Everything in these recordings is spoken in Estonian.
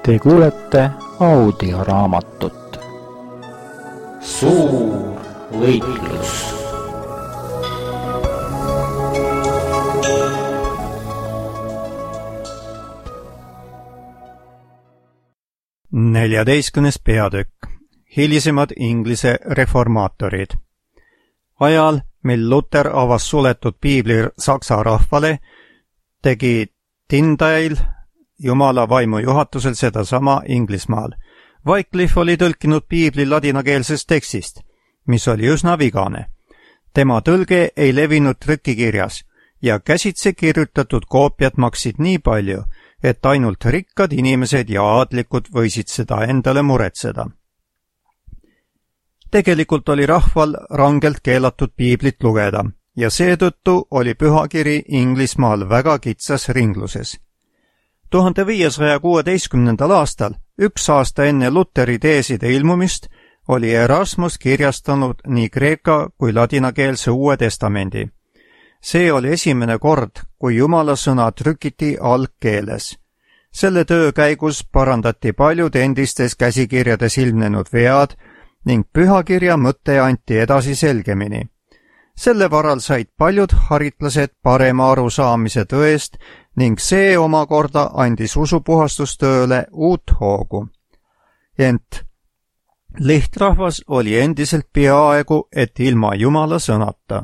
Te kuulete audioraamatut Suur võitlus. Neljateistkümnes peatükk. Hilisemad Inglise reformaatorid. Ajal, mil Luther avas suletud piibli saksa rahvale, tegi Tyndale Jumala vaimu juhatusel sedasama Inglismaal. Wycliffe oli tõlkinud piibli ladinakeelsest tekstist, mis oli üsna vigane. Tema tõlge ei levinud trükikirjas ja käsitsi kirjutatud koopiad maksid nii palju, et ainult rikkad inimesed ja aadlikud võisid seda endale muretseda. Tegelikult oli rahval rangelt keelatud piiblit lugeda ja seetõttu oli pühakiri Inglismaal väga kitsas ringluses. 1516. aastal, üks aasta enne Lutheri teeside ilmumist, oli Erasmus kirjastanud nii kreeka kui ladinakeelse Uue Testamendi. See oli esimene kord, kui Jumala sõna trükiti algkeeles. Selle töö käigus parandati paljud endistes käsikirjades ilmnenud vead ning pühakirja mõte anti edasi selgemini. Selle varal said paljud haritlased parema arusaamise tõest ning see omakorda andis usupuhastustööle uut hoogu. Ent lihtrahvas oli endiselt peaaegu et ilma Jumala sõnata.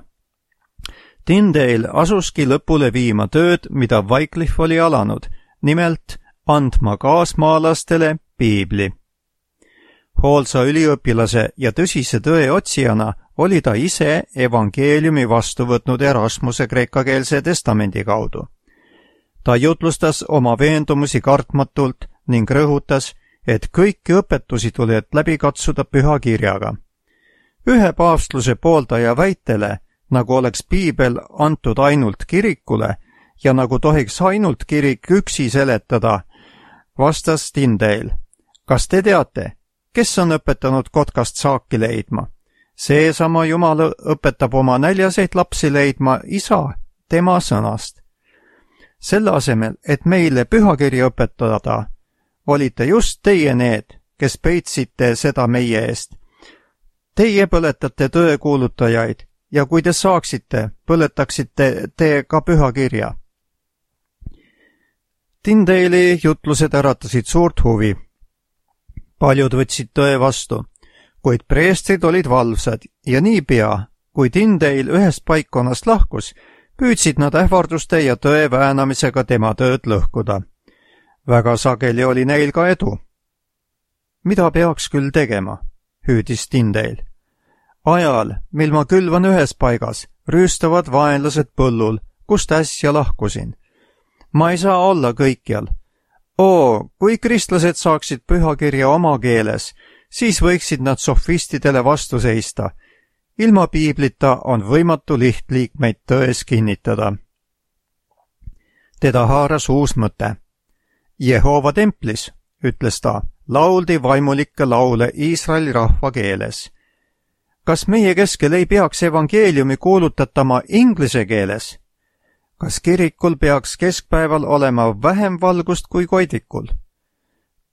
Tyndale asuski lõpule viima tööd, mida Wycliffe oli alanud, nimelt andma kaasmaalastele piibli. Hoolsa üliõpilase ja tõsise tõe otsijana oli ta ise evangeeliumi vastu võtnud Erasmuse kreekakeelse testamendi kaudu. Ta jutlustas oma veendumusi kartmatult ning rõhutas, et kõiki õpetusi tuleb läbi katsuda püha kirjaga. Ühe paavstluse pooldaja väitele, nagu oleks piibel antud ainult kirikule ja nagu tohiks ainult kirik üksi seletada, vastas Tyndale. Kas te teate, kes on õpetanud kotkast saaki leidma? Seesama Jumal õpetab oma näljaseid lapsi leidma isa tema sõnast. Selle asemel, et meile pühakirja õpetada, olite just teie need, kes peitsite seda meie eest. Teie põletate tõe kuulutajaid ja kui te saaksite, põletaksite te ka pühakirja. Tyndale'i jutlused äratasid suurt huvi. Paljud võtsid tõe vastu, kuid preestrid olid valvsad ja niipea, kui Tyndale ühest paikkonnast lahkus, püüdsid nad ähvarduste ja tõe väänamisega tema tööd lõhkuda. Väga sageli oli neil ka edu. Mida peaks küll tegema, hüüdis Tyndale. Ajal, mil ma külvan ühes paigas, rüüstavad vaenlased põllul, kust äsja lahkusin. Ma ei saa olla kõikjal. Kui kristlased saaksid pühakirja oma keeles, siis võiksid nad sofistidele vastu seista. Ilma piiblita on võimatu lihtliikmeid tões kinnitada. Teda haaras uus mõte. Jehova templis, ütles ta, lauldi vaimulikke laule Iisraeli rahva keeles. Kas meie keskel ei peaks evangeeliumi kuulutatama inglise keeles? Kas kirikul peaks keskpäeval olema vähem valgust kui koidikul?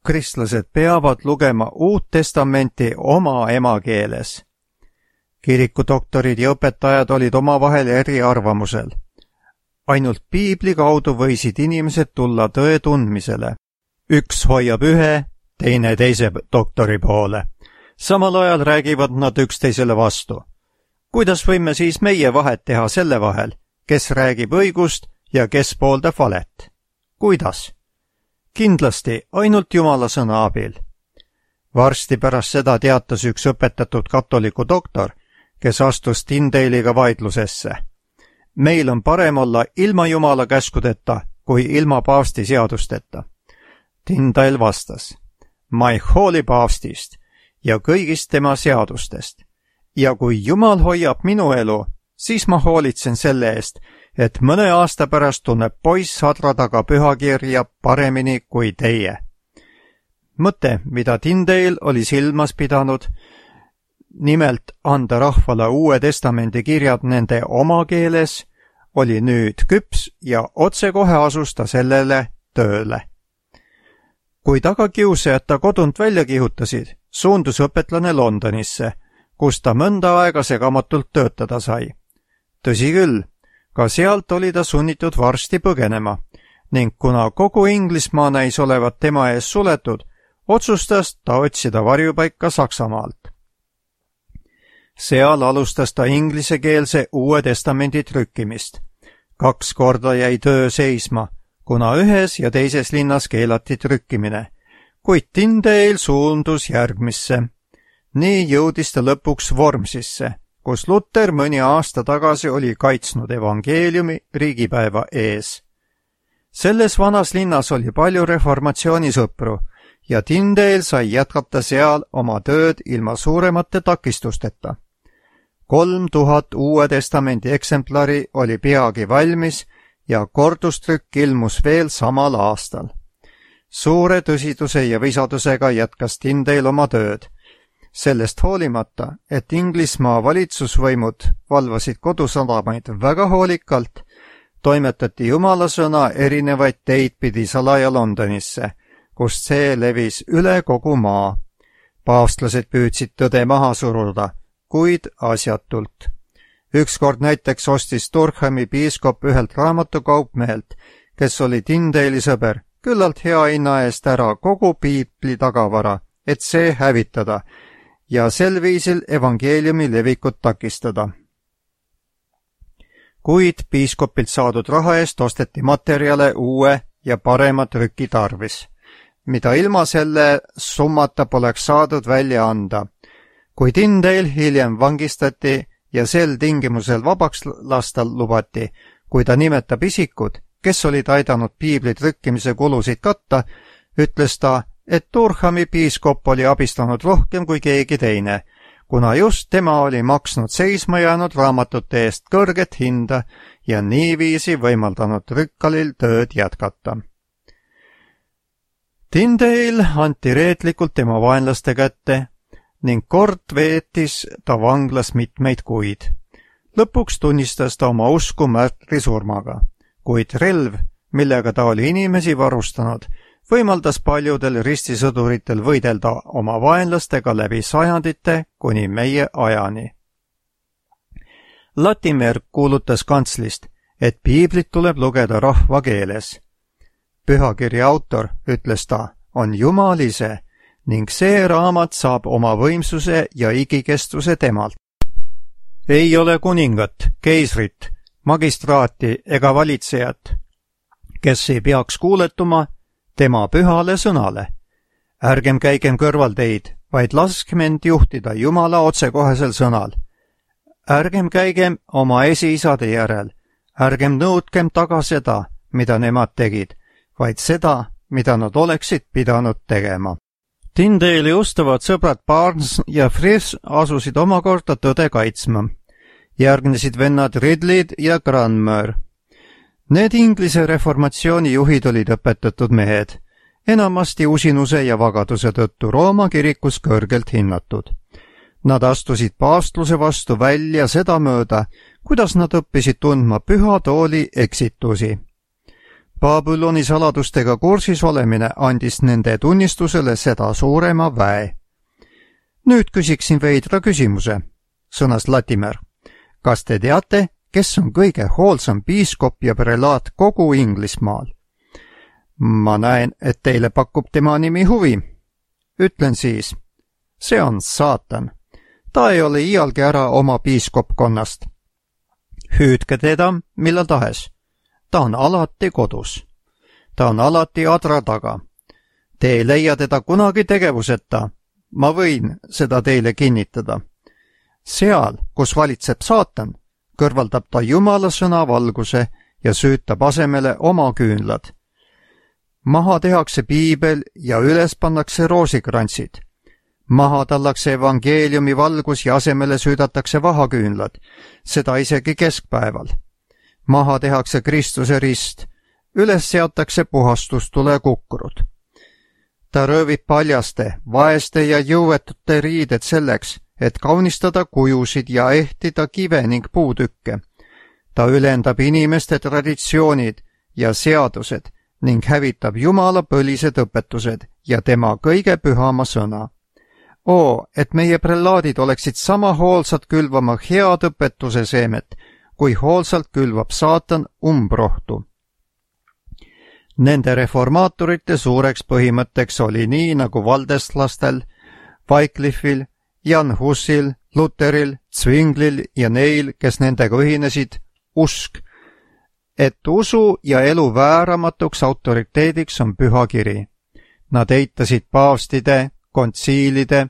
Kristlased peavad lugema Uut Testamenti oma emakeeles. Kirikudoktorid ja õpetajad olid omavahel eriarvamusel. Ainult piibli kaudu võisid inimesed tulla tõe tundmisele. Üks hoiab ühe, teine teise doktori poole. Samal ajal räägivad nad üksteisele vastu. Kuidas võime siis meie vahet teha selle vahel, kes räägib õigust ja kes pooldab valet? Kuidas? Kindlasti ainult Jumala sõna abil. Varsti pärast seda teatas üks õpetatud katoliku doktor, kes astus Tyndale'iga vaidlusesse. Meil on parem olla ilma Jumala käskudeta kui ilma paavsti seadusteta. Tyndale vastas, ma ei hooli paavstist ja kõigist tema seadustest. Ja kui Jumal hoiab minu elu, siis ma hoolitsen selle eest, et mõne aasta pärast tunneb poiss sadra taga pühakirja paremini kui teie. Mõte, mida Tyndale oli silmas pidanud, nimelt anda rahvale Uue Testamendi kirjad nende oma keeles, oli nüüd küps ja otsekohe asus ta sellele tööle. Kui tagakiusajad ta kodunt välja kihutasid, suundus õpetlane Londonisse, kus ta mõnda aega segamatult töötada sai. Tõsi küll, ka sealt oli ta sunnitud varsti põgenema ning kuna kogu Inglismaa näis olevat tema ees suletud, otsustas ta otsida varjupaika Saksamaalt. Seal alustas ta inglisekeelse Uue Testamendi trükkimist. 2 korda jäi töö seisma, kuna ühes ja teises linnas keelati trükkimine, kuid Tyndale suundus järgmisse. Nii jõudis ta lõpuks Wormsisse, kus Luther mõni aasta tagasi oli kaitsnud evangeeliumi riigipäeva ees. Selles vanas linnas oli palju reformatsioonisõpru ja Tyndale sai jätkata seal oma tööd ilma suuremate takistusteta. 3000 Uue Testamendi eksemplari oli peagi valmis ja kordustrükk ilmus veel samal aastal. Suure tõsiduse ja visadusega jätkas Tyndale oma tööd. Sellest hoolimata, et Inglismaa valitsusvõimud valvasid kodusadamaid väga hoolikalt, toimetati Jumala sõna erinevaid teid pidi salaja Londonisse, kust see levis üle kogu maa. Paavstlased püüdsid tõde maha suruda, kuid asjatult. Ükskord näiteks ostis Durhami piiskop ühelt raamatukaupmehelt, kes oli Tyndale'i sõber, küllalt hea hinna eest ära kogu piibli tagavara, et see hävitada ja sel viisil evangeeliumi levikut takistada. Kuid piiskopilt saadud raha eest osteti materjale uue ja parema trüki tarvis, mida ilma selle summata poleks saadud välja anda. Kui Tyndale hiljem vangistati ja sel tingimusel vabaks lasta lubati, kui ta nimetab isikud, kes olid aidanud piibli trükkimise kulusid katta, ütles ta, et Durhami piiskop oli abistanud rohkem kui keegi teine, kuna just tema oli maksnud seisma jäänud raamatute eest kõrget hinda ja niiviisi võimaldanud trükkalil tööd jätkata. Tyndale anti reetlikult tema vaenlaste kätte ning kord veetis ta vanglas mitmeid kuid. Lõpuks tunnistas ta oma usku märtrisurmaga, kuid relv, millega ta oli inimesi varustanud, võimaldas paljudel ristisõduritel võidelda oma vaenlastega läbi sajandite kuni meie ajani. Latimer kuulutas kantslist, et piiblit tuleb lugeda rahva keeles. Pühakirja autor, ütles ta, on Jumal ise ning see raamat saab oma võimsuse ja igikestuse temalt. Ei ole kuningat, keisrit, magistraati ega valitsejat, kes ei peaks kuuletuma tema pühale sõnale. Ärgem käigem kõrvalteid, vaid laskkem end juhtida Jumala otsekohesel sõnal. Ärgem käigem oma esiisade järel, ärgem nõudkem taga seda, mida nemad tegid, vaid seda, mida nad oleksid pidanud tegema. Tyndale'i ustavad sõbrad Barnes ja Frisch asusid omakorda tõde kaitsma. Järgnesid vennad Ridley ja Cranmer. Need Inglise reformatsiooni juhid olid õpetatud mehed, enamasti usinuse ja vagaduse tõttu Rooma kirikus kõrgelt hinnatud. Nad astusid paavstluse vastu välja sedamööda, kuidas nad õppisid tundma püha tooli eksitusi. Babyloni saladustega kursis olemine andis nende tunnistusele seda suurema väe. Nüüd küsiksin veidra küsimuse, sõnas Latimer. Kas te teate, kes on kõige hoolsam piiskop ja prelaat kogu Inglismaal? Ma näen, et teile pakub tema nimi huvi. Ütlen siis, see on saatan. Ta ei ole iialgi ära oma piiskopkonnast. Hüüdke teda millal tahes. Ta on alati kodus. Ta on alati adra taga. Te ei leia teda kunagi tegevuseta. Ma võin seda teile kinnitada. Seal, kus valitseb saatan, kõrvaldab ta Jumala sõna valguse ja süütab asemele oma küünlad. Maha tehakse piibel ja üles pannakse roosikrantsid. Maha tallakse evangeeliumi valgus ja asemele süüdatakse vahaküünlad, seda isegi keskpäeval. Maha tehakse Kristuse rist, üles seatakse puhastustule kukrud. Ta röövib paljaste, vaeste ja jõuetute riided selleks, et kaunistada kujusid ja ehtida kive ning puutükke. ta ülendab inimeste traditsioonid ja seadused ning hävitab Jumala põlised õpetused ja tema kõige pühama sõna. Et meie prellaadid oleksid sama hoolsad külvama head õpetuse seemet, kui hoolsalt külvab saatan umbrohtu. Nende reformaatorite suureks põhimõtteks oli nii nagu valdestlastel, Wycliffil, Jan Husil, Lutheril, Zwinglil ja neil, kes nendega ühinesid, usk, et usu ja elu vääramatuks autoriteediks on püha kiri. Nad eitasid paavstide, kontsiilide,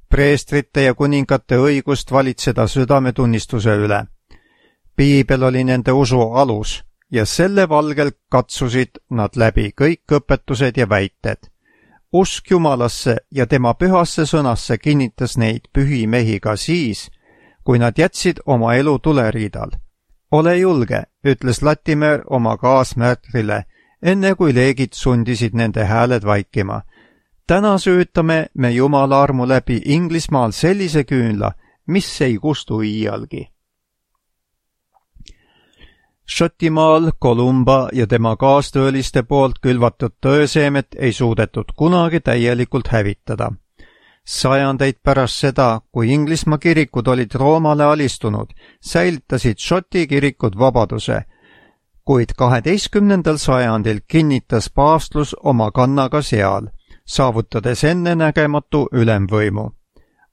preestrite ja kuningate õigust valitseda südametunnistuse üle. Piibel oli nende usu alus ja selle valgel katsusid nad läbi kõik õpetused ja väited. Usk Jumalasse ja tema pühasse sõnasse kinnitas neid pühi mehi ka siis, kui nad jätsid oma elu tuleriidal. Ole julge, ütles Latimer oma kaasmärtrile, enne kui leegid sundisid nende hääled vaikima. Täna süütame me Jumala armu läbi Inglismaal sellise küünla, mis ei kustu iialgi. Šotimaal Kolumba ja tema kaastööliste poolt külvatud tõeseemet ei suudetud kunagi täielikult hävitada. Sajandeid pärast seda, kui Inglismaa kirikud olid Roomale alistunud, säilitasid Šoti kirikud vabaduse, kuid 12. sajandil kinnitas paavstlus oma kannaga seal, saavutades ennenägematu ülemvõimu.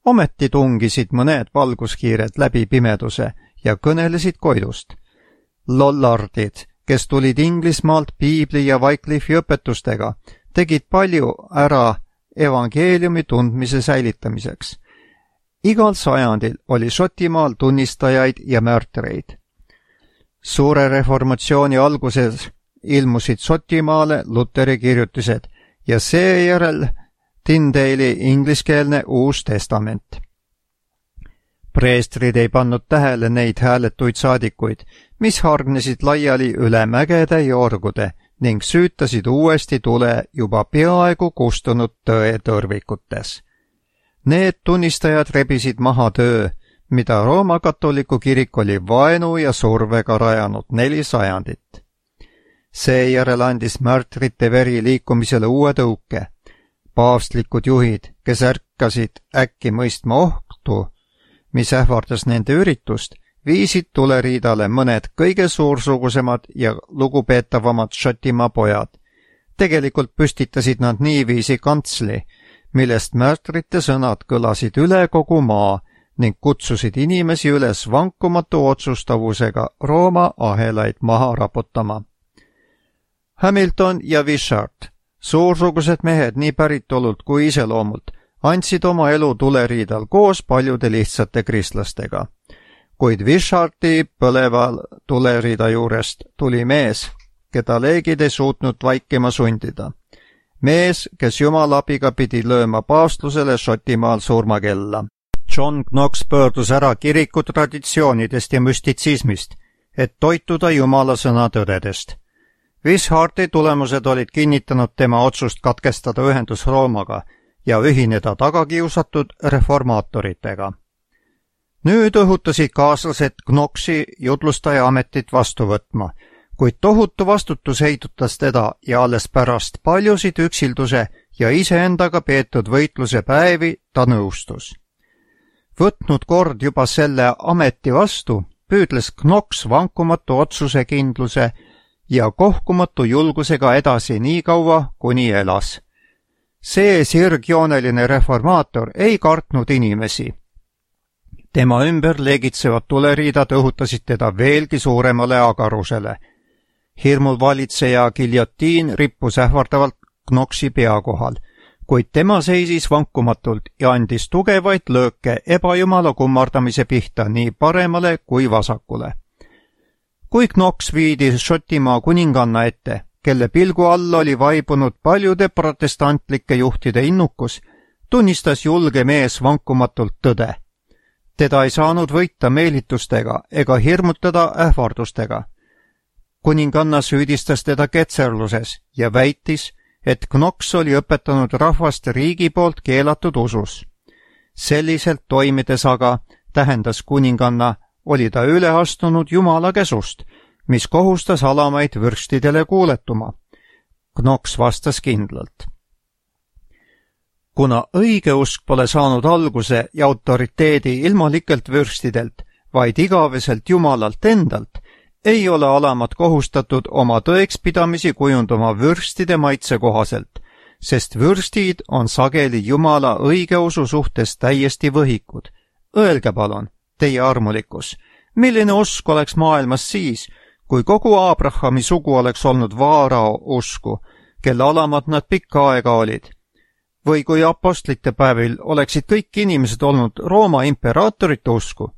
Ometi tungisid mõned valguskiired läbi pimeduse ja kõnelesid Koidust. Lollardid, kes tulid Inglismaalt Piibli ja Wycliffi õpetustega, tegid palju ära evangeeliumi tundmise säilitamiseks. Igal sajandil oli Šotimaal tunnistajaid ja märtreid. Suure reformatsiooni alguses ilmusid Šotimaale Luteri kirjutised ja seejärel Tyndale'i ingliskeelne Uus Testament. Preestrid ei pannud tähele neid hääletuid saadikuid, mis hargnesid laiali üle mägede ja orgude ning süütasid uuesti tule juba peaaegu kustunud tõe tõrvikutes. Need tunnistajad rebisid maha töö, mida Rooma katoliku kirik oli vaenu ja survega rajanud 4 sajandit. Seejärel andis märtrite veri liikumisele uue tõuke. Paavstlikud juhid, kes ärkasid äkki mõistma ohtu, mis ähvardas nende üritust, viisid tuleriidale mõned kõige suursugusemad ja lugupeetavamad Šotimaa pojad. Tegelikult püstitasid nad niiviisi kantsli, millest märtrite sõnad kõlasid üle kogu maa ning kutsusid inimesi üles vankumatu otsustavusega Rooma ahelaid maha raputama. Hamilton ja Wishart, suursugused mehed nii päritolult kui iseloomult, andsid oma elu tuleriidal koos paljude lihtsate kristlastega. Kuid Wisharti põleva tuleriida juurest tuli mees, keda leegid ei suutnud vaikima sundida. Mees, kes Jumala abiga pidi lööma paavstlusele Šotimaal surmakella. John Knox pöördus ära kiriku traditsioonidest ja müstitsismist, et toituda Jumala sõna tõdedest. Wisharti tulemused olid kinnitanud tema otsust katkestada ühendus Roomaga ja ühineda tagakiusatud reformaatoritega. Nüüd õhutasid kaaslased Knoxi jutlustaja ametit vastu võtma, kuid tohutu vastutus heidutas teda ja alles pärast paljusid üksilduse ja iseendaga peetud võitluse päevi ta nõustus. Võtnud kord juba selle ameti vastu, püüdles Knox vankumatu otsusekindluse ja kohkumatu julgusega edasi nii kaua, kuni elas. See sirgjooneline reformaator ei kartnud inimesi. Tema ümber leegitsevad tuleriidad õhutasid teda veelgi suuremale agarusele. Hirmul valitseja giljotiin rippus ähvardavalt Knoxi pea kohal, kuid tema seisis vankumatult ja andis tugevaid lööke ebajumala kummardamise pihta nii paremale kui vasakule. Kui Knox viidi Šotimaa kuninganna ette, kelle pilgu all oli vaibunud paljude protestantlike juhtide innukus, tunnistas julge mees vankumatult tõde. Teda ei saanud võita meelitustega ega hirmutada ähvardustega. Kuninganna süüdistas teda ketserluses ja väitis, et Knox oli õpetanud rahvast riigi poolt keelatud usus. Selliselt toimides aga tähendas kuninganna oli ta üle astunud Jumala käsust, mis kohustas alamaid vürstidele kuuletuma. Knox vastas kindlalt. Kuna õigeusk pole saanud alguse ja autoriteedi ilmalikelt vürstidelt, vaid igaveselt Jumalalt endalt, ei ole alamad kohustatud oma tõekspidamisi kujundama vürstide maitse kohaselt, sest vürstid on sageli Jumala õigeusu suhtes täiesti võhikud. Öelge palun, teie armulikkus, milline usk oleks maailmas siis, kui kogu Abrahami sugu oleks olnud Vaarao usku, kelle alamad nad pikka aega olid? Või kui apostlite päevil oleksid kõik inimesed olnud Rooma imperaatorite usku?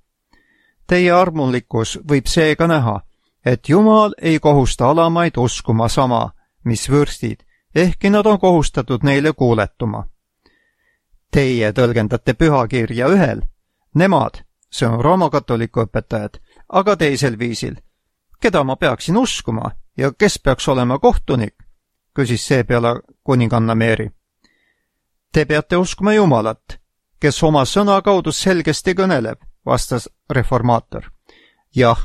Teie armulikkus võib seega näha, et Jumal ei kohusta alamaid uskuma sama, mis vürstid, ehkki nad on kohustatud neile kuuletuma. Teie tõlgendate pühakirja ühel, nemad, see on roomakatoliku õpetajad, aga teisel viisil. Keda ma peaksin uskuma ja kes peaks olema kohtunik, küsis seepeale kuninganna Meeri. Te peate uskuma Jumalat, kes oma sõna kaudu selgesti kõneleb, vastas reformaator. Jah,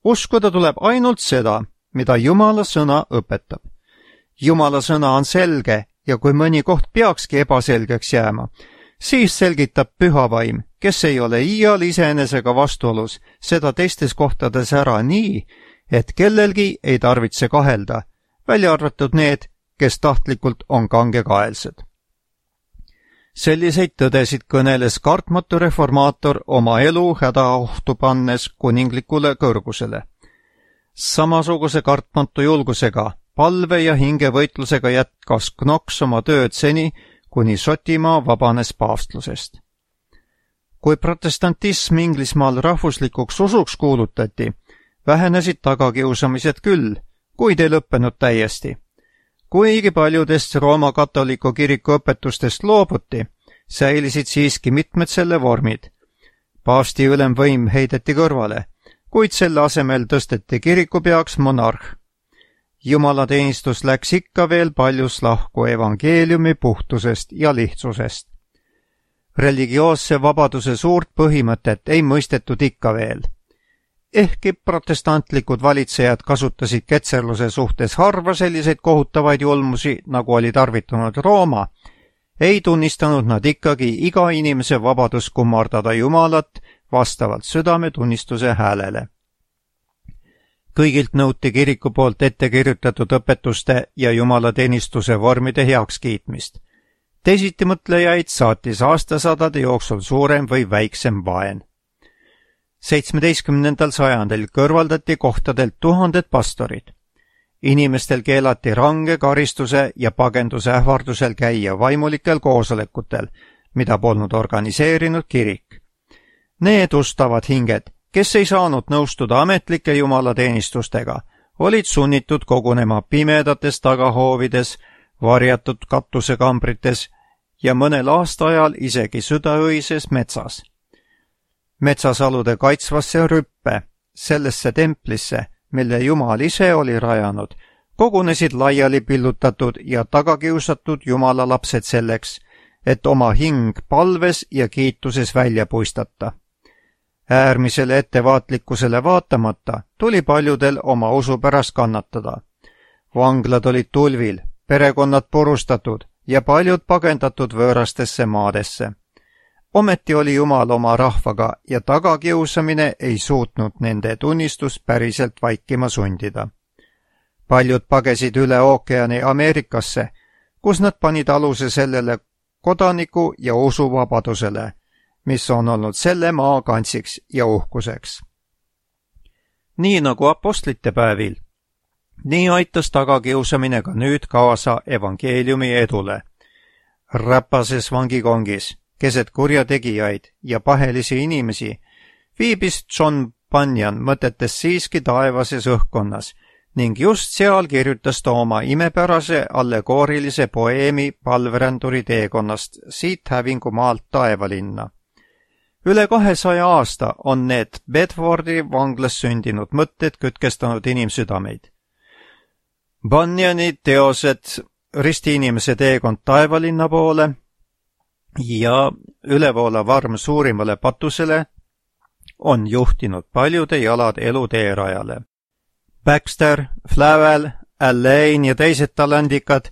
uskuda tuleb ainult seda, mida Jumala sõna õpetab. Jumala sõna on selge ja kui mõni koht peakski ebaselgeks jääma, siis selgitab püha vaim, kes ei ole iial iseenesega vastuolus, seda teistes kohtades ära nii, et kellelgi ei tarvitse kahelda, välja arvatud need, kes tahtlikult on kangekaelsed. Selliseid tõdesid kõneles kartmatu reformaator oma elu hädaohtu pannes kuninglikule kõrgusele. Samasuguse kartmatu julgusega, palve ja hingevõitlusega jätkas Knox oma tööd seni, kuni Šotimaa vabanes paavstlusest. Kui protestantism Inglismaal rahvuslikuks usuks kuulutati, vähenesid tagakiusamised küll, kuid ei lõppenud täiesti. Kuigi paljudest Rooma katoliku kiriku õpetustest loobuti, säilisid siiski mitmed selle vormid. Paavsti ülemvõim heideti kõrvale, kuid selle asemel tõsteti kirikupeaks monarh. Jumalateenistus läks ikka veel paljus lahku evangeeliumi puhtusest ja lihtsusest. Religioosse vabaduse suurt põhimõtet ei mõistetud ikka veel. Ehkki protestantlikud valitsejad kasutasid ketserluse suhtes harva selliseid kohutavaid julmusi, nagu oli tarvitanud Rooma, ei tunnistanud nad ikkagi iga inimese vabadust kummardada Jumalat vastavalt südametunnistuse häälele. Kõigilt nõuti kiriku poolt ette kirjutatud õpetuste ja jumalateenistuse vormide heakskiitmist. Teisitimõtlejaid saatis aastasadade jooksul suurem või väiksem vaen. 17. sajandil kõrvaldati kohtadelt tuhanded pastorid. Inimestel keelati range karistuse ja pagenduse ähvardusel käia vaimulikel koosolekutel, mida polnud organiseerinud kirik. Need ustavad hinged, kes ei saanud nõustuda ametlike jumalateenistustega, olid sunnitud kogunema pimedates tagahoovides, varjatud katusekambrites ja mõnel aastaajal isegi südaöises metsas. Metsasalude kaitsvasse rüppe, sellesse templisse, mille Jumal ise oli rajanud, kogunesid laiali pillutatud ja tagakiusatud Jumala lapsed selleks, et oma hing palves ja kiituses välja puistata. Äärmisele ettevaatlikkusele vaatamata tuli paljudel oma usu pärast kannatada. Vanglad olid tulvil, perekonnad purustatud ja paljud pagendatud võõrastesse maadesse. Ometi oli Jumal oma rahvaga ja tagakiusamine ei suutnud nende tunnistust päriselt vaikima sundida. Paljud pagesid üle ookeani Ameerikasse, kus nad panid aluse sellele kodaniku ja usuvabadusele, mis on olnud selle maa kantsiks ja uhkuseks. Nii nagu apostlite päevil, nii aitas tagakiusamine ka nüüd kaasa evangeeliumi edule. Räpases vangikongis, keset kurjategijaid ja pahelisi inimesi, viibis John Bunyan mõtetes siiski taevases õhkkonnas ning just seal kirjutas ta oma imepärase allegoorilise poeemi palveränduri teekonnast siit hävingumaalt taevalinna. Üle 200 aasta on need Bedfordi vanglas sündinud mõtted kütkestanud inimsüdameid. Bunyani teosed Ristiinimese teekond taevalinna poole ja Ülevoolav arm suurimale patusele on juhtinud paljude jalad eluteerajale. Baxter, Flavel, Allain ja teised talandikad,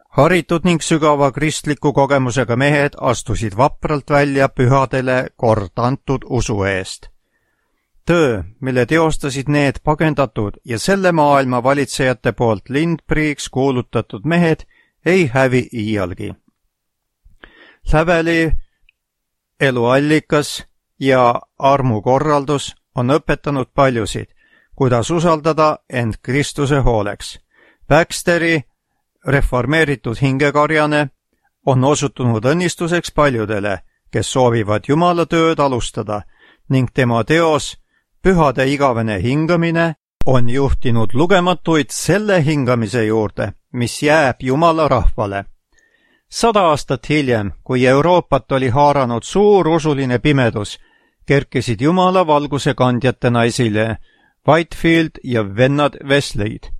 haritud ning sügava kristliku kogemusega mehed astusid vapralt välja pühadele kord antud usu eest. Töö, mille teostasid need pagendatud ja selle maailma valitsejate poolt lindpriiks kuulutatud mehed, ei hävi iialgi. Flaveli eluallikas ja armukorraldus on õpetanud paljusid, kuidas usaldada end Kristuse hooleks. Baxteri reformeeritud hingekarjane on osutunud õnnistuseks paljudele, kes soovivad Jumala tööd alustada ning tema teos Pühade igavene hingamine on juhtinud lugematuid selle hingamise juurde, mis jääb Jumala rahvale. 100 aastat hiljem, kui Euroopat oli haaranud suur usuline pimedus, kerkisid Jumala valguse kandjatena esile Whitefield ja vennad Wesley'd.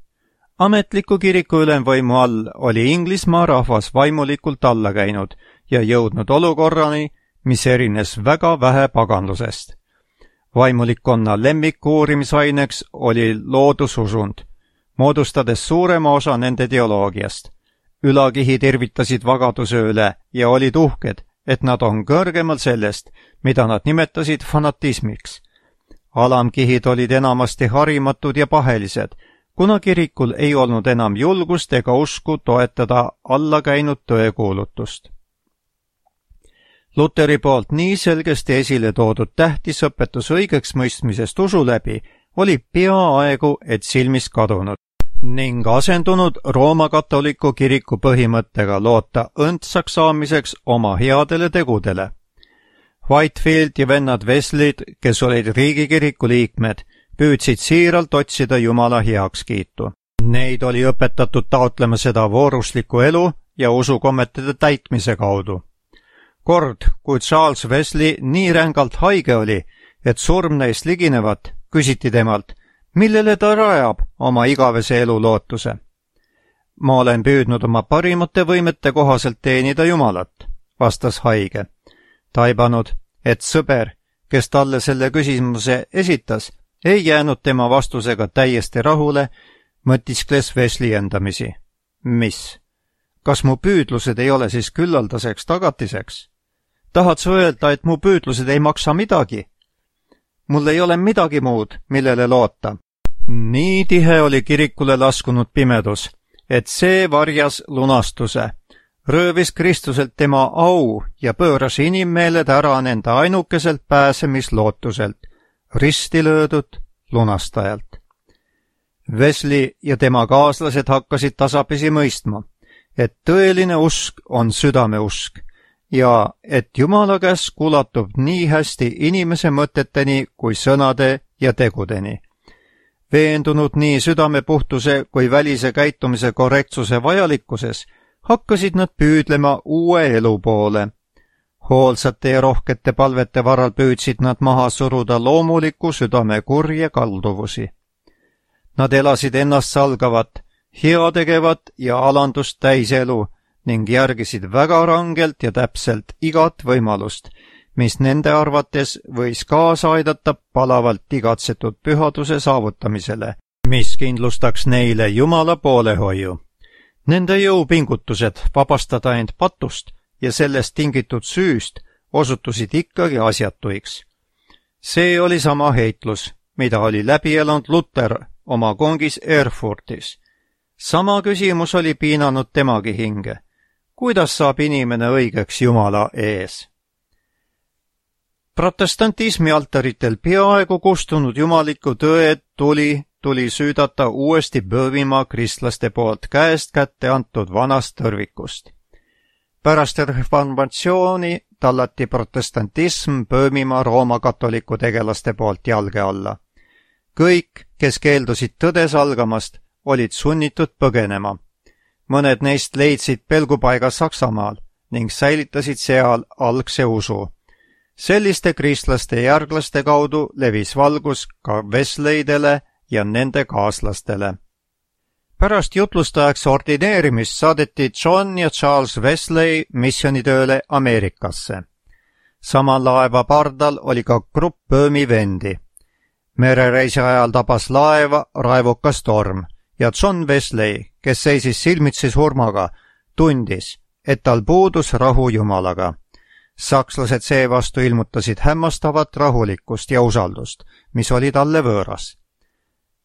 Ametliku kiriku ülemvõimu all oli Inglismaa rahvas vaimulikult alla käinud ja jõudnud olukorrani, mis erines väga vähe paganlusest. Vaimulikkonna lemmikuurimisaineks oli loodususund, moodustades suurema osa nende teoloogiast. Ülakihid irvitasid vagaduse üle ja olid uhked, et nad on kõrgemal sellest, mida nad nimetasid fanatismiks. Alamkihid olid enamasti harimatud ja pahelised, kuna kirikul ei olnud enam julgust ega usku toetada allakäinud tõekuulutust. Luteri poolt nii selgesti esile toodud tähtisõpetus õigeks mõistmisest usu läbi oli peaaegu et silmist kadunud ning asendunud Rooma katoliku kiriku põhimõttega loota õndsaks saamiseks oma headele tegudele. Whitefield ja vennad Wesley'd, kes olid riigikiriku liikmed, püüdsid siiralt otsida Jumala heakskiitu. Neid oli õpetatud taotlema seda vooruslikku elu ja usukommetede täitmise kaudu. Kord, kui Charles Wesley nii rängalt haige oli, et surm neist liginevat, küsiti temalt, millele ta rajab oma igavese elu lootuse. Ma olen püüdnud oma parimate võimete kohaselt teenida Jumalat, vastas haige. Taibanud, et sõber, kes talle selle küsimuse esitas, ei jäänud tema vastusega täiesti rahule, mõtiskles Wesley endamisi. Mis? Kas mu püüdlused ei ole siis küllaldaseks tagatiseks? Tahad sa öelda, et mu püüdlused ei maksa midagi? Mul ei ole midagi muud, millele loota. Nii tihe oli kirikule laskunud pimedus, et see varjas lunastuse, röövis Kristuselt tema au ja pööras inimmeeled ära nende ainukeselt pääsemislootuselt, risti löödud lunastajalt. Wesley ja tema kaaslased hakkasid tasapisi mõistma, et tõeline usk on südameusk ja et Jumala käsk ulatub nii hästi inimese mõteteni kui sõnade ja tegudeni. Veendunud nii südamepuhtuse kui välise käitumise korrektsuse vajalikkuses, hakkasid nad püüdlema uue elu poole. Hoolsate ja rohkete palvete varal püüdsid nad maha suruda loomuliku südame kurje kalduvusi. Nad elasid ennast salgavat, heategevat ja alandust täiselu ning järgisid väga rangelt ja täpselt igat võimalust, mis nende arvates võis kaasa aidata palavalt igatsetud pühaduse saavutamisele, mis kindlustaks neile Jumala poolehoiu. Nende jõupingutused vabastada end patust ja sellest tingitud süüst osutusid ikkagi asjatuiks. See oli sama heitlus, mida oli läbi elanud Luter oma kongis Erfurtis. Sama küsimus oli piinanud temagi hinge. Kuidas saab inimene õigeks Jumala ees? Protestantismi altaritel peaaegu kustunud jumaliku tõe tuli süüdata uuesti Böövimaa kristlaste poolt käest kätte antud vanast tõrvikust. Pärast reformatsiooni tallati protestantism Böövimaa Rooma katoliku tegelaste poolt jalge alla. Kõik, kes keeldusid tõde salgamast, olid sunnitud põgenema. Mõned neist leidsid pelgupaiga Saksamaal ning säilitasid seal algse usu. Selliste kristlaste järglaste kaudu levis valgus ka Wesley'dele ja nende kaaslastele. Pärast jutlustajaks ordineerimist saadeti John ja Charles Wesley missionitööle Ameerikasse. Sama laeva pardal oli ka grupp Böömi vendi. Merereisi ajal tabas laeva raevukas torm ja John Wesley, kes seisis silmitsi surmaga, tundis, et tal puudus rahu Jumalaga. Sakslased seevastu ilmutasid hämmastavat rahulikkust ja usaldust, mis oli talle võõras.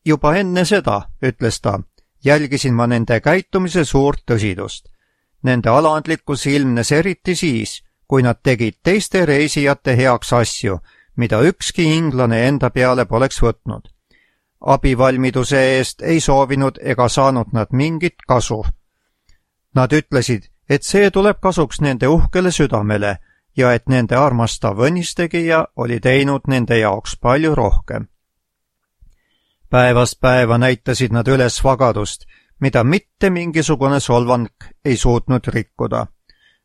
Juba enne seda, ütles ta, jälgisin ma nende käitumise suurt tõsidust. Nende alandlikkus ilmnes eriti siis, kui nad tegid teiste reisijate heaks asju, mida ükski inglane enda peale poleks võtnud. Abivalmiduse eest ei soovinud ega saanud nad mingit kasu. Nad ütlesid, et see tuleb kasuks nende uhkele südamele ja et nende armastav õnnistegija oli teinud nende jaoks palju rohkem. Päevast päeva näitasid nad üles vagadust, mida mitte mingisugune solvang ei suutnud rikkuda.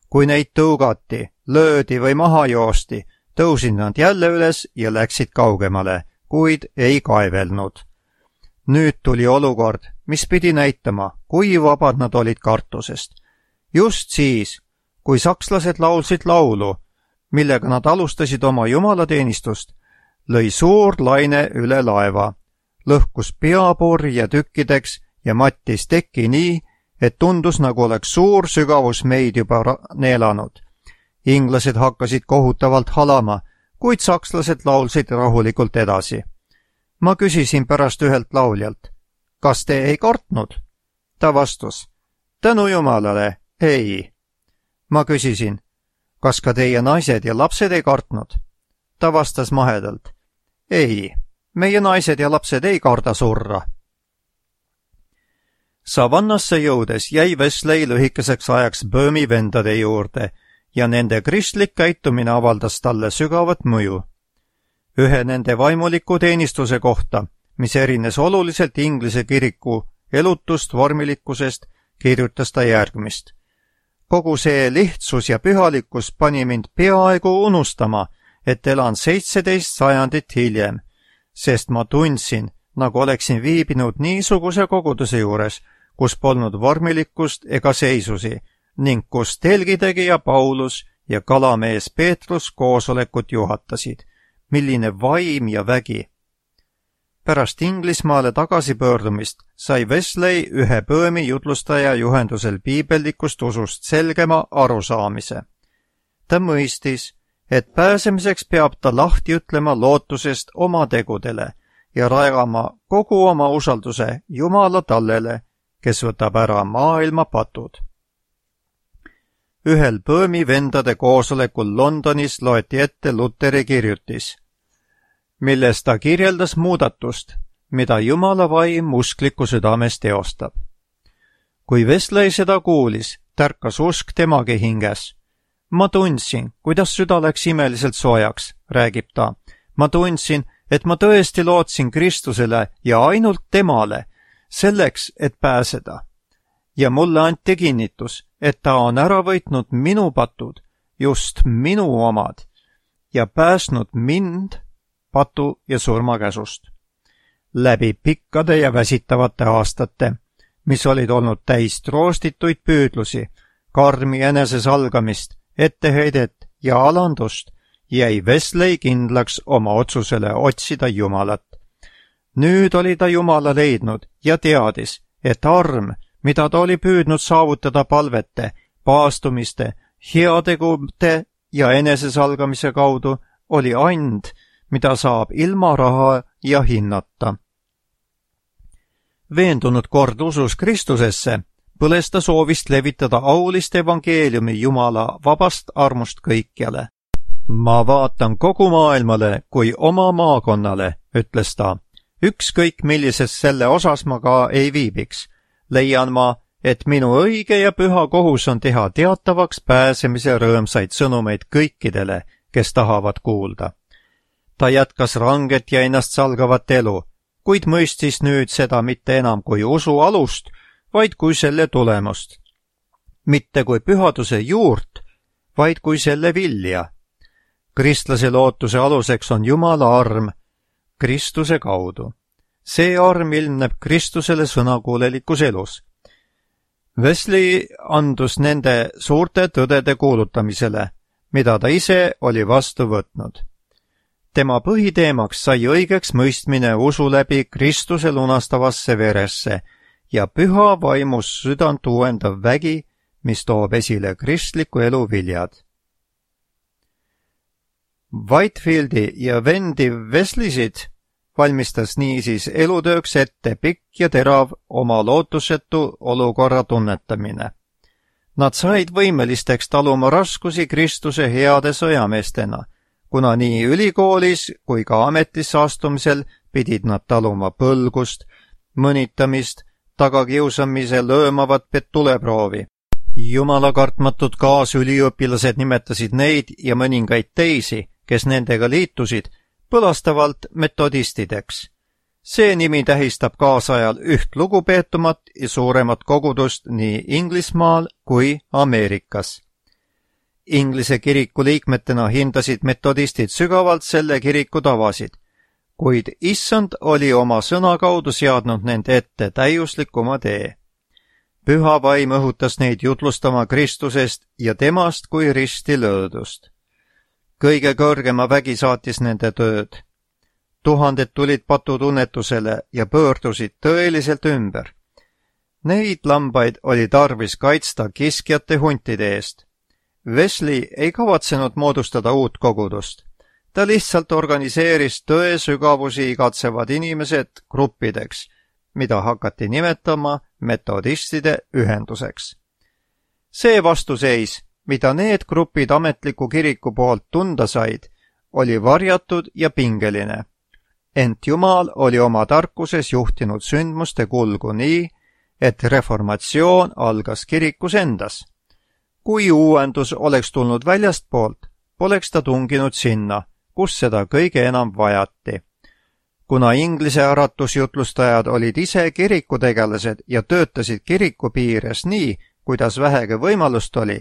Kui neid tõugati, löödi või maha joosti, tõusid nad jälle üles ja läksid kaugemale, kuid ei kaevelnud. Nüüd tuli olukord, mis pidi näitama, kui vabad nad olid kartusest. Just siis, kui sakslased laulsid laulu, millega nad alustasid oma jumalateenistust, lõi suur laine üle laeva, lõhkus peapurje tükkideks ja mattis tekki nii, et tundus, nagu oleks suur sügavus meid juba neelanud. Inglased hakkasid kohutavalt halama, kuid sakslased laulsid rahulikult edasi. Ma küsisin pärast ühelt lauljalt, kas te ei kartnud? Ta vastus, tänu Jumalale, ei. Ma küsisin, kas ka teie naised ja lapsed ei kartnud? Ta vastas mahedalt, ei, meie naised ja lapsed ei karda surra. Savannasse jõudes jäi Wesley lühikeseks ajaks Böömi vendade juurde ja nende kristlik käitumine avaldas talle sügavat mõju. Ühe nende vaimuliku teenistuse kohta, mis erines oluliselt Inglise kiriku elutust vormilikkusest, kirjutas ta järgmist. Kogu see lihtsus ja pühalikkus pani mind peaaegu unustama, et elan 17 sajandit hiljem, sest ma tundsin, nagu oleksin viibinud niisuguse koguduse juures, kus polnud vormilikkust ega seisusi ning kus telgitegija Paulus ja kalamees Peetrus koosolekut juhatasid. Milline vaim ja vägi! Pärast Inglismaale tagasipöördumist sai Wesley ühe Böömi jutlustaja juhendusel piibellikust usust selgema arusaamise. Ta mõistis, et pääsemiseks peab ta lahti ütlema lootusest oma tegudele ja rajama kogu oma usalduse Jumala tallele, kes võtab ära maailma patud. Ühel Böömi vendade koosolekul Londonis loeti ette Luteri kirjutis, milles ta kirjeldas muudatust, mida Jumala vaim uskliku südames teostab. Kui Wesley seda kuulis, tärkas usk temagi hinges. Ma tundsin, kuidas süda läks imeliselt soojaks, räägib ta. Ma tundsin, et ma tõesti lootsin Kristusele ja ainult temale, selleks, et pääseda. Ja mulle anti kinnitus, et ta on ära võitnud minu patud, just minu omad, ja päästnud mind patu ja surmakäsust. Läbi pikkade ja väsitavate aastate, mis olid olnud täis troostituid püüdlusi, karmi enesesalgamist, etteheidet ja alandust, jäi Wesley kindlaks oma otsusele otsida Jumalat. Nüüd oli ta Jumala leidnud ja teadis, et arm, mida ta oli püüdnud saavutada palvete, paastumiste, heategude ja enesesalgamise kaudu, oli and, mida saab ilma raha ja hinnata. Veendunud kord usus Kristusesse, põles ta soovist levitada aulist evangeeliumi Jumala vabast armust kõikjale. Ma vaatan kogu maailmale kui oma maakonnale, ütles ta. Ükskõik millises selle osas ma ka ei viibiks. Leian ma, et minu õige ja püha kohus on teha teatavaks pääsemise rõõmsaid sõnumeid kõikidele, kes tahavad kuulda. Ta jätkas ranget ja ennast salgavat elu, kuid mõistis nüüd seda mitte enam kui usu alust, vaid kui selle tulemust. Mitte kui pühaduse juurt, vaid kui selle vilja. Kristlase lootuse aluseks on Jumala arm Kristuse kaudu. See arm ilmneb Kristusele sõnakuulelikus elus. Wesley andus nende suurte tõdede kuulutamisele, mida ta ise oli vastu võtnud. Tema põhiteemaks sai õigeks mõistmine usu läbi Kristuse lunastavasse veresse ja püha vaimus südant uuendav vägi, mis toob esile kristliku elu viljad. Whitefieldi ja vendi Wesleysid valmistas niisiis elutööks ette pikk ja terav oma lootusetu olukorra tunnetamine. Nad said võimelisteks taluma raskusi Kristuse heade sõjameestena, kuna nii ülikoolis kui ka ametisse astumisel pidid nad taluma põlgust, mõnitamist, tagakiusamise löömavat tuleproovi. Jumalakartmatud kaasüliõpilased nimetasid neid ja mõningaid teisi, kes nendega liitusid, põlastavalt metodistideks. See nimi tähistab kaasajal üht lugupeetumat ja suuremat kogudust nii Inglismaal kui Ameerikas. Inglise kiriku liikmetena hindasid metodistid sügavalt selle kiriku tavasid, kuid issand oli oma sõna kaudu seadnud nende ette täiuslikuma tee. Püha vaim õhutas neid jutlustama Kristusest ja temast kui risti löödust. Kõige kõrgema vägi saatis nende tööd. Tuhanded tulid patutunnetusele ja pöördusid tõeliselt ümber. Neid lambaid oli tarvis kaitsta kiskjate huntide eest. Wesley ei kavatsenud moodustada uut kogudust. Ta lihtsalt organiseeris tõe sügavusi igatsevad inimesed gruppideks, mida hakati nimetama metodistide ühenduseks. See vastuseis, mida need grupid ametliku kiriku poolt tunda said, oli varjatud ja pingeline. Ent Jumal oli oma tarkuses juhtinud sündmuste kulgu nii, et reformatsioon algas kirikus endas. Kui uuendus oleks tulnud väljastpoolt, poleks ta tunginud sinna, kus seda kõige enam vajati. Kuna Inglise äratusjutlustajad olid ise kirikutegelased ja töötasid kiriku piires nii, kuidas vähegi võimalust oli,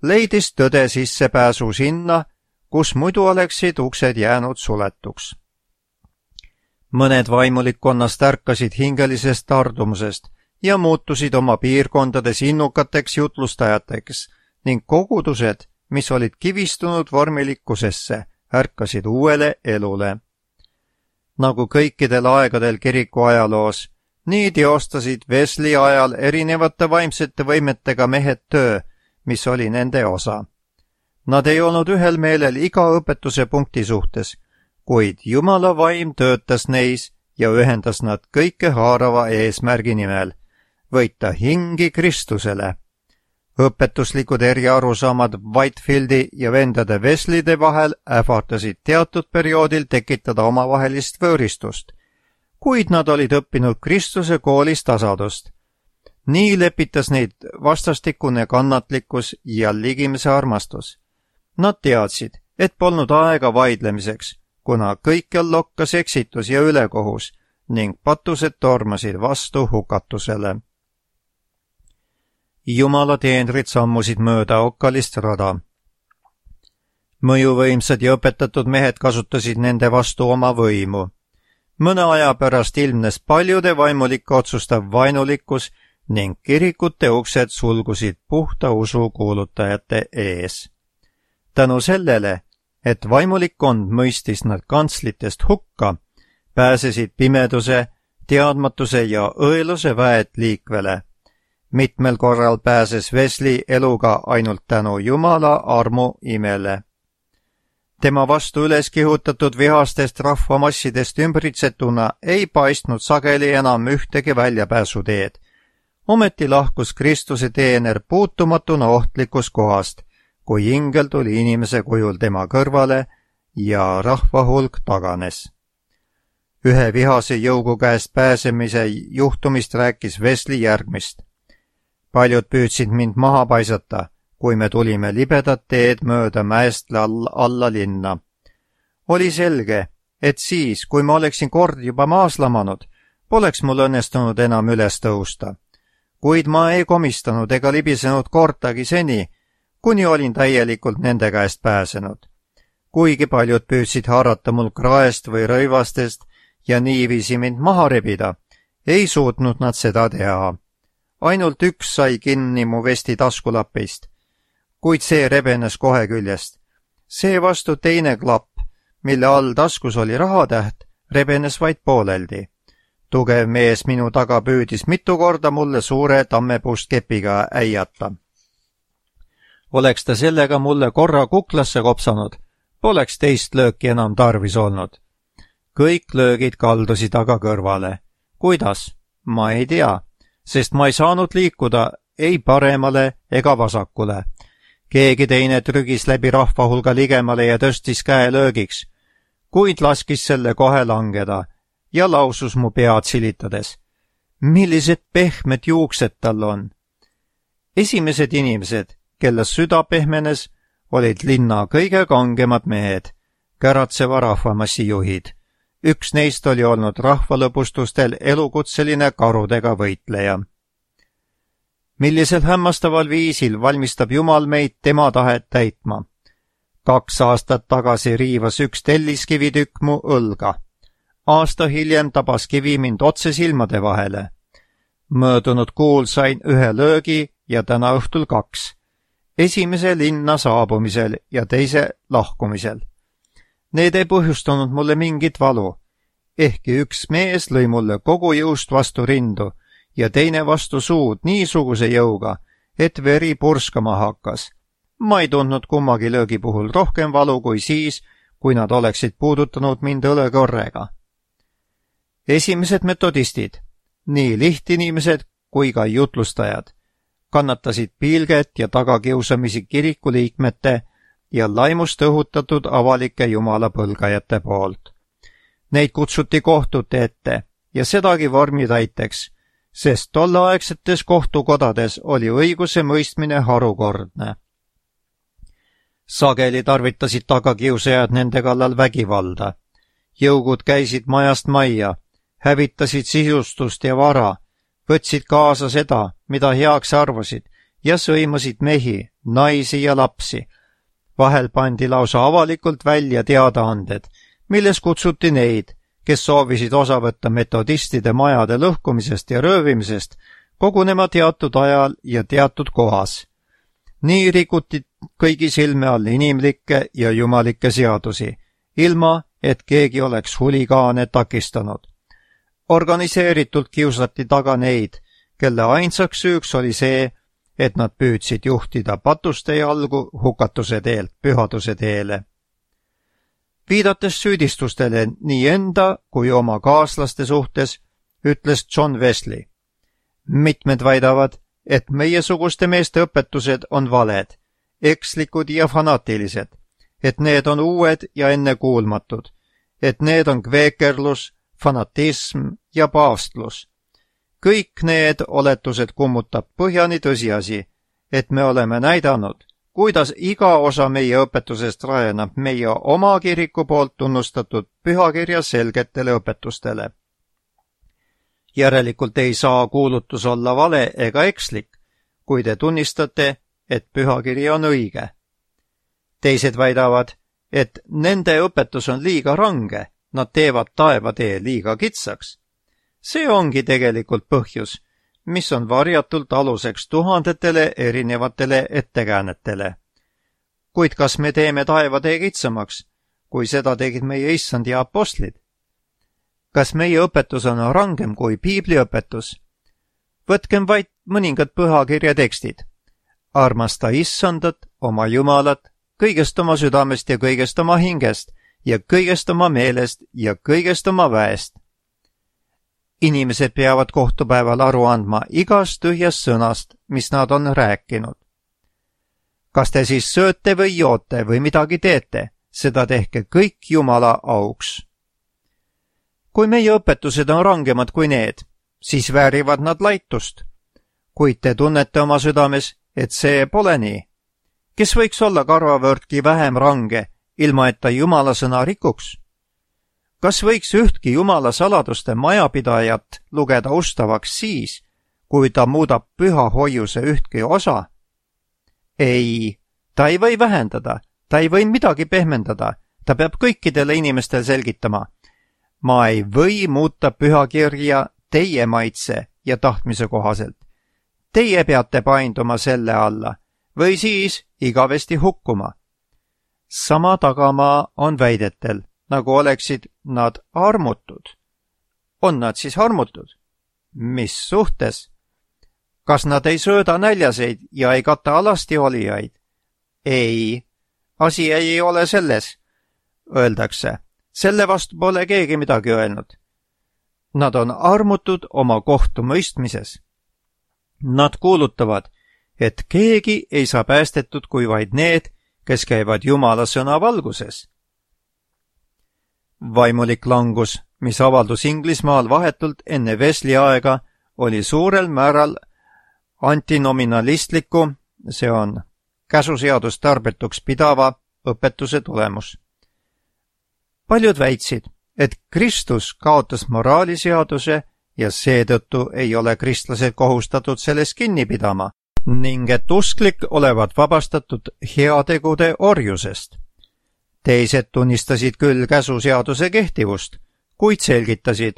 leidis tõde sissepääsu sinna, kus muidu oleksid uksed jäänud suletuks. Mõned vaimulikkonnast ärkasid hingelisest tardumusest ja muutusid oma piirkondades innukateks jutlustajateks ning kogudused, mis olid kivistunud vormilikkusesse, ärkasid uuele elule. Nagu kõikidel aegadel kiriku ajaloos, nii teostasid Wesley ajal erinevate vaimsete võimetega mehed töö, mis oli nende osa. Nad ei olnud ühel meelel iga õpetuse punkti suhtes, kuid Jumala vaim töötas neis ja ühendas nad kõike haarava eesmärgi nimel, võita hingi Kristusele. Õpetuslikud eriarusaamad Whitefieldi ja vendade Wesleyde vahel ähvardasid teatud perioodil tekitada omavahelist võõristust, kuid nad olid õppinud Kristuse koolis tasadust. Nii lepitas neid vastastikune kannatlikkus ja ligimese armastus. Nad teadsid, et polnud aega vaidlemiseks, kuna kõikjal lokkas eksitus ja ülekohus ning patused tormasid vastu hukatusele. Jumala teenrid sammusid mööda okkalist rada. Mõjuvõimsad ja õpetatud mehed kasutasid nende vastu oma võimu. Mõne aja pärast ilmnes paljude vaimulike otsustav vaenulikkus ning kirikute uksed sulgusid puhta usu kuulutajate ees. Tänu sellele, et vaimulikkond mõistis nad kantslitest hukka, pääsesid pimeduse, teadmatuse ja õeluse väed liikvele. Mitmel korral pääses Wesley eluga ainult tänu Jumala armu imele. Tema vastu üles kihutatud vihastest rahvamassidest ümbritsetuna ei paistnud sageli enam ühtegi väljapääsuteed. Ometi lahkus Kristuse teener puutumatuna ohtlikus kohast, kui ingel tuli inimese kujul tema kõrvale ja rahva hulk taganes. Ühe vihase jõugu käest pääsemise juhtumist rääkis Wesley järgmist. Paljud püüdsid mind maha paisata, kui me tulime libedat teed mööda mäest alla linna. Oli selge, et siis, kui ma oleksin kord juba maas lamanud, poleks mul õnnestunud enam üles tõusta. Kuid ma ei komistanud ega libisenud kordagi seni, kuni olin täielikult nende käest pääsenud. Kuigi paljud püüdsid haarata mul kraest või rõivastest ja niiviisi mind maha rebida, ei suutnud nad seda teha. Ainult üks sai kinni mu vesti taskulapist, kuid see rebenes kohe küljest. Seevastu teine klapp, mille all taskus oli rahatäht, rebenes vaid pooleldi. Tugev mees minu taga püüdis mitu korda mulle suure tammepuust kepiga äiata. Oleks ta sellega mulle korra kuklasse kopsanud, poleks teist lööki enam tarvis olnud. Kõik löögid kaldusid aga kõrvale. Kuidas? Ma ei tea, sest ma ei saanud liikuda ei paremale ega vasakule. Keegi teine trügis läbi rahva hulga ligemale ja tõstis käe löögiks, kuid laskis selle kohe langeda ja lausus mu pead silitades. Millised pehmed juuksed tal on! Esimesed inimesed, kelle süda pehmenes, olid linna kõige kangemad mehed, käratseva rahvamassi juhid. Üks neist oli olnud rahvalõbustustel elukutseline karudega võitleja. Millisel hämmastaval viisil valmistab Jumal meid tema tahet täitma. 2 aastat tagasi riivas üks telliskivitükk mu õlga. Aasta hiljem tabas kivi mind otse silmade vahele. Möödunud kuul sain 1 löögi ja täna õhtul 2. Esimese linna saabumisel ja teise lahkumisel. Need ei põhjustanud mulle mingit valu, ehkki üks mees lõi mulle kogu jõust vastu rindu ja teine vastu suud niisuguse jõuga, et veri purskama hakkas. Ma ei tundnud kummagi löögi puhul rohkem valu kui siis, kui nad oleksid puudutanud mind õlekorrega. Esimesed metodistid, nii lihtinimesed kui ka jutlustajad, kannatasid pilget ja tagakiusamisi kirikuliikmete ja laimust õhutatud avalike jumalapõlgajate poolt. Neid kutsuti kohtute ette ja sedagi vormitäiteks, sest tolleaegsetes kohtukodades oli õiguse mõistmine harukordne. Sageli tarvitasid tagakiusajad nende kallal vägivalda. Jõugud käisid majast majja, hävitasid sisustust ja vara, võtsid kaasa seda, mida heaks arvasid, ja sõimasid mehi, naisi ja lapsi. Vahel pandi lausa avalikult välja teadaanded, milles kutsuti neid, kes soovisid osa võtta metodistide majade lõhkumisest ja röövimisest, kogunema teatud ajal ja teatud kohas. Nii rikuti kõigi silme all inimlikke ja jumalikke seadusi, ilma et keegi oleks huligaane takistanud. Organiseeritult kiusati taga neid, kelle ainsaks süüks oli see, et nad püüdsid juhtida patuste jalgu hukatuse teelt pühaduse teele. Viidates süüdistustele nii enda kui oma kaaslaste suhtes, ütles John Wesley. Mitmed väidavad, et meiesuguste meeste õpetused on valed, ekslikud ja fanaatilised, et need on uued ja ennekuulmatud, et need on kveekerlus, fanatism ja paavstlus. Kõik need oletused kummutab põhjani tõsiasi, et me oleme näidanud, kuidas iga osa meie õpetusest rajaneb meie oma kiriku poolt tunnustatud pühakirja selgetele õpetustele. Järelikult ei saa kuulutus olla vale ega ekslik, kui te tunnistate, et pühakiri on õige. Teised väidavad, et nende õpetus on liiga range, nad teevad taevatee liiga kitsaks. See ongi tegelikult põhjus, mis on varjatult aluseks tuhandetele erinevatele ettekäänetele. Kuid kas me teeme taevatee kitsamaks, kui seda tegid meie issand ja apostlid? Kas meie õpetus on rangem kui piibliõpetus? Võtkem vaid mõningad pühakirja tekstid. Armasta issandat, oma Jumalat, kõigest oma südamest ja kõigest oma hingest ja kõigest oma meelest ja kõigest oma väest. Inimesed peavad kohtupäeval aru andma igast tühjast sõnast, mis nad on rääkinud. Kas te siis sööte või joote või midagi teete, seda tehke kõik Jumala auks. Kui meie õpetused on rangemad kui need, siis väärivad nad laitust. Kuid te tunnete oma südames, et see pole nii. Kes võiks olla karvavõrdki vähem range, ilma et ta Jumala sõna rikuks? Kas võiks ühtki Jumala saladuste majapidajat lugeda ustavaks siis, kui ta muudab püha hoiuse ühtki osa? Ei, ta ei või vähendada, ta ei või midagi pehmendada, ta peab kõikidele inimestel selgitama. Ma ei või muuta pühakirja teie maitse ja tahtmise kohaselt. Teie peate painduma selle alla või siis igavesti hukkuma. sama tagamaa on väidetel, nagu oleksid nad armutud. On nad siis armutud? Mis suhtes? Kas nad ei sööda näljaseid ja ei kata alasti olijaid? Ei, asi ei ole selles, öeldakse. Selle vastu pole keegi midagi öelnud. Nad on armutud oma kohtumõistmises. Nad kuulutavad, et keegi ei saa päästetud kui vaid need, kes käivad Jumala sõna valguses. Vaimulik langus, mis avaldus Inglismaal vahetult enne Wesley aega, oli suurel määral antinominalistliku, see on käsuseadust tarbetuks pidava õpetuse tulemus. Paljud väitsid, et Kristus kaotas moraaliseaduse ja seetõttu ei ole kristlased kohustatud sellest kinni pidama ning et usklik olevat vabastatud heategude orjusest. Teised tunnistasid küll käsuseaduse kehtivust, kuid selgitasid,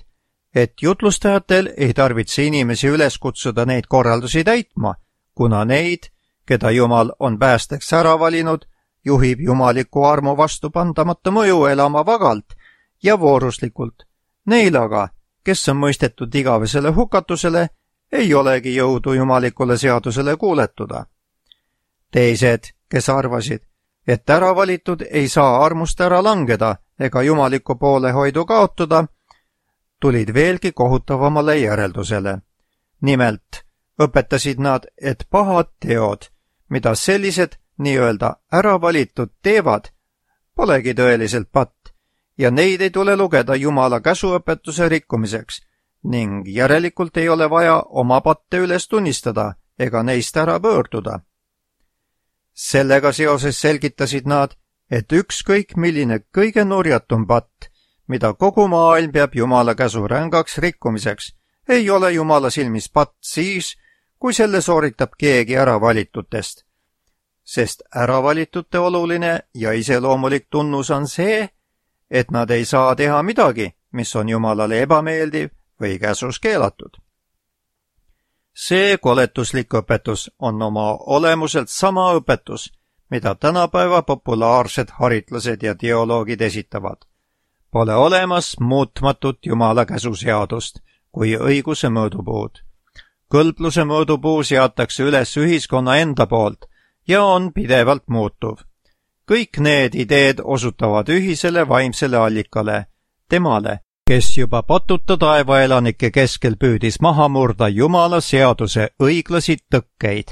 et jutlustajatel ei tarvitse inimesi üles kutsuda neid korraldusi täitma, kuna neid, keda Jumal on päästeks ära valinud, juhib jumaliku armu vastupandamata mõju elama vagalt ja vooruslikult. Neil aga, kes on mõistetud igavesele hukatusele, ei olegi jõudu jumalikule seadusele kuuletuda. Teised, kes arvasid, et äravalitud ei saa armust ära langeda ega jumaliku poolehoidu kaotada, tulid veelgi kohutavamale järeldusele. Nimelt õpetasid nad, et pahad teod, mida sellised nii-öelda äravalitud teevad, polegi tõeliselt patt ja neid ei tule lugeda Jumala käsuõpetuse rikkumiseks ning järelikult ei ole vaja oma patte üles tunnistada ega neist ära pöörduda. Sellega seoses selgitasid nad, et ükskõik milline kõige nurjatum patt, mida kogu maailm peab Jumala käsu rängaks rikkumiseks, ei ole Jumala silmis patt siis, kui selle sooritab keegi äravalitutest. Sest äravalitute oluline ja iseloomulik tunnus on see, et nad ei saa teha midagi, mis on Jumalale ebameeldiv või käsus keelatud. See koletuslik õpetus on oma olemuselt sama õpetus, mida tänapäeva populaarsed haritlased ja teoloogid esitavad. Pole olemas muutmatut Jumala käsuseadust kui õiguse mõõdupuud. Kõlbluse mõõdupuu seatakse üles ühiskonna enda poolt ja on pidevalt muutuv. Kõik need ideed osutavad ühisele vaimsele allikale, temale, kes juba patuta taevaelanike keskel püüdis maha murda Jumala seaduse õiglasi tõkkeid.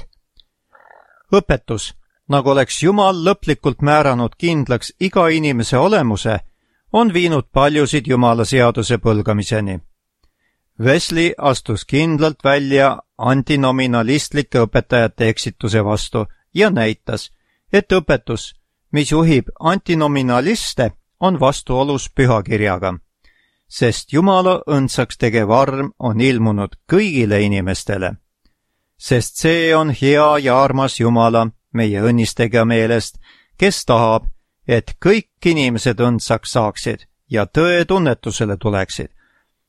Õpetus, nagu oleks Jumal lõplikult määranud kindlaks iga inimese olemuse, on viinud paljusid Jumala seaduse põlgamiseni. Wesley astus kindlalt välja antinominalistlike õpetajate eksituse vastu ja näitas, et õpetus, mis juhib antinominaliste, on vastuolus pühakirjaga, sest Jumala õndsaks tegev arm on ilmunud kõigile inimestele. Sest see on hea ja armas Jumala, meie õnnistegija meelest, kes tahab, et kõik inimesed õndsaks saaksid ja tõe tunnetusele tuleksid,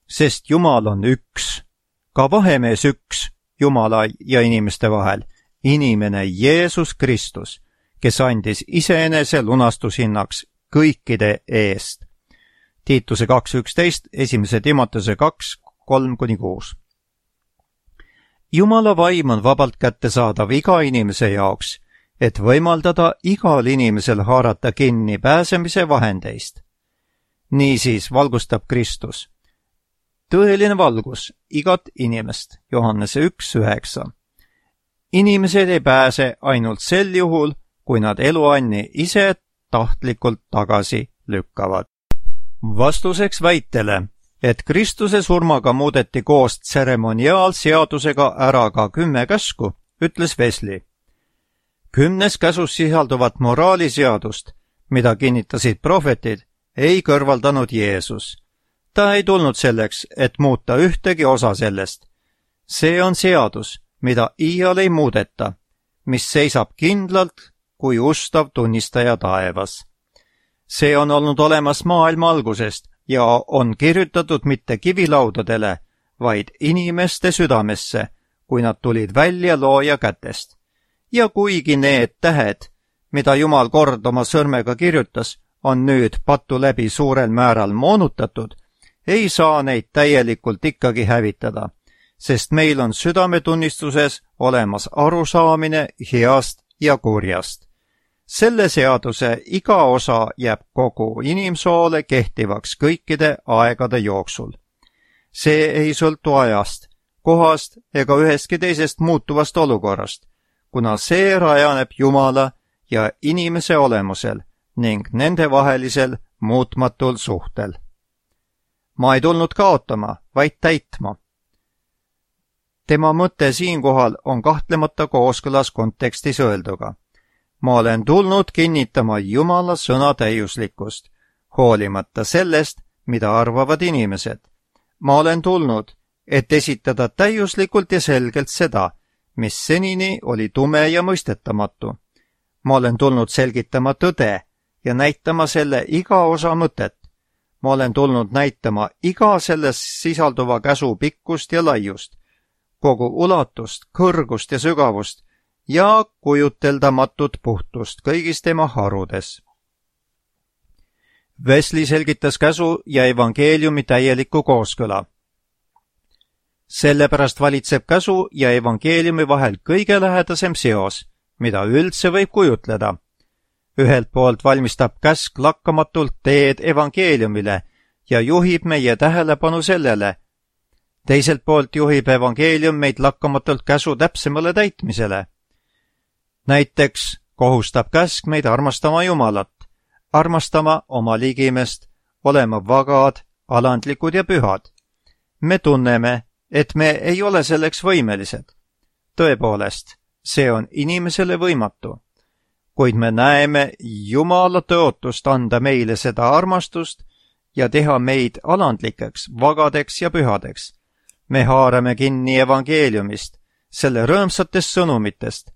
sest Jumal on üks, ka vahemees üks Jumala ja inimeste vahel, inimene Jeesus Kristus, kes andis iseenese lunastushinnaks kõikide eest. Tiituse 2.11, 1. Timoteuse 2.3-6. Jumala vaim on vabalt kättesaadav iga inimese jaoks, et võimaldada igal inimesel haarata kinni pääsemise vahendeist. Niisiis valgustab Kristus. Tõeline valgus igat inimest, Johannese 1.9. Inimesed ei pääse ainult sel juhul, kui nad eluanni ise tahtlikult tagasi lükkavad. Vastuseks väitele, et Kristuse surmaga muudeti koos tseremoniaalseadusega ära ka 10 käsku, ütles Wesley. 10 käsus sisalduvat moraaliseadust, mida kinnitasid prohvetid, ei kõrvaldanud Jeesus. Ta ei tulnud selleks, et muuta ühtegi osa sellest. See on seadus, mida iial ei muudeta, mis seisab kindlalt kui ustav tunnistaja taevas. See on olnud olemas maailma algusest ja on kirjutatud mitte kivilaudadele, vaid inimeste südamesse, kui nad tulid välja looja kätest. Ja kuigi need tähed, mida Jumal kord oma sõrmega kirjutas, on nüüd patu läbi suurel määral moonutatud, ei saa neid täielikult ikkagi hävitada, sest meil on südametunnistuses olemas arusaamine heast ja kurjast. Selle seaduse iga osa jääb kogu inimsoole kehtivaks kõikide aegade jooksul. See ei sõltu ajast, kohast ega ühestki teisest muutuvast olukorrast, kuna see rajaneb Jumala ja inimese olemusel ning nendevahelisel muutmatul suhtel. Ma ei tulnud kaotama, vaid täitma. Tema mõte siinkohal on kahtlemata kooskõlas kontekstis öelduga. Ma olen tulnud kinnitama Jumala sõna täiuslikkust, hoolimata sellest, mida arvavad inimesed. Ma olen tulnud, et esitada täiuslikult ja selgelt seda, mis senini oli tume ja mõistetamatu. Ma olen tulnud selgitama tõde ja näitama selle iga osa mõtet. Ma olen tulnud näitama iga selles sisalduva käsu pikkust ja laiust, kogu ulatust, kõrgust ja sügavust ja kujuteldamatut puhtust kõigis tema harudes. Wesley selgitas käsu ja evangeeliumi täielikku kooskõla. Sellepärast valitseb käsu ja evangeeliumi vahel kõige lähedasem seos, mida üldse võib kujutleda. Ühelt poolt valmistab käsk lakkamatult teed evangeeliumile ja juhib meie tähelepanu sellele. Teiselt poolt juhib evangeelium meid lakkamatult käsu täpsemale täitmisele. Näiteks kohustab käsk meid armastama Jumalat, armastama oma ligimest, olema vagad, alandlikud ja pühad. Me tunneme, et me ei ole selleks võimelised. Tõepoolest, see on inimesele võimatu. Kuid me näeme Jumala tõotust anda meile seda armastust ja teha meid alandlikeks, vagadeks ja pühadeks. Me haarame kinni evangeeliumist, selle rõõmsatest sõnumitest.